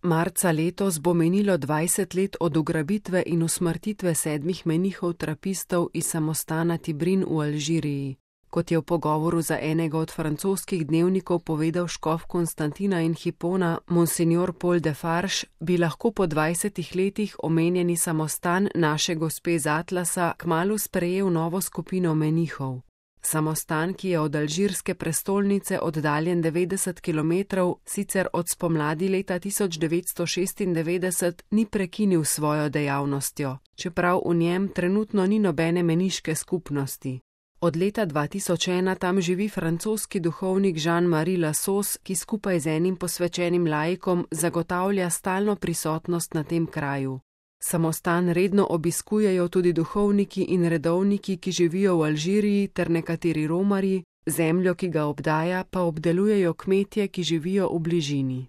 Marca letos bo minilo 20 let od ugrabitve in usmrtitve 7 menihov trapistov iz samostana Tibrin v Alžiriji. Kot je v pogovoru za enega od francoskih dnevnikov povedal škof Konstantina in Hipona, monsignor Paul Defarge, bi lahko po 20 letih omenjeni samostan naše gospe z Atlasa kmalu sprejel novo skupino menihov. Samostan, ki je od alžirske prestolnice oddaljen 90 km, sicer od spomladi leta 1996 ni prekinil svojo dejavnostjo, čeprav v njem trenutno ni nobene meniške skupnosti. Od leta 2001 tam živi francoski duhovnik Jean-Marie Lassos, ki skupaj z enim posvečenim laikom zagotavlja stalno prisotnost na tem kraju. Samostan redno obiskujejo tudi duhovniki in redovniki, ki živijo v Alžiriji, ter nekateri romarji, zemljo, ki ga obdaja, pa obdelujejo kmetje, ki živijo v bližini.